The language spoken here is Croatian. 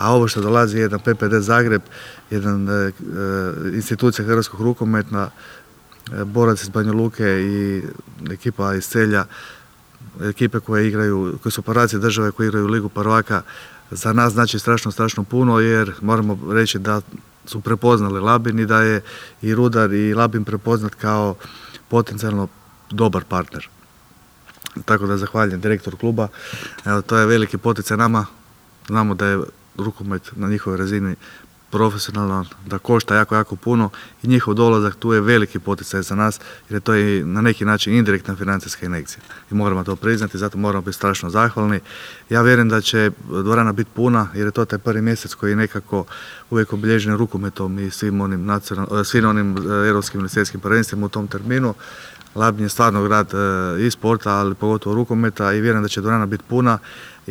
a ovo što dolazi je jedan PPD Zagreb, jedna institucija hrvatskog rukometa, borac iz Banja Luke i ekipa iz Celja, ekipe koje su operacije države koje igraju Ligu prvaka, za nas znači strašno puno, jer moramo reći da su prepoznali Labin i da je i Rudar i Labin prepoznat kao potencijalno dobar partner. Tako da zahvaljujem direktoru kluba. Evo, to je veliki poticaj nama. Znamo da je rukomet na njihovoj razini profesionalan, da košta jako puno i njihov dolazak tu je veliki poticaj za nas, jer je to i na neki način indirektna financijska injekcija. I moramo to priznati, zato moramo biti strašno zahvalni. Ja vjerujem da će dvorana biti puna, jer je to taj prvi mjesec koji je nekako uvijek obilježen rukometom i svim onim europskim i svjetskim prvenstvima u tom terminu. Labin je stvarno grad i sporta, ali pogotovo rukometa, i vjerujem da će dvorana biti puna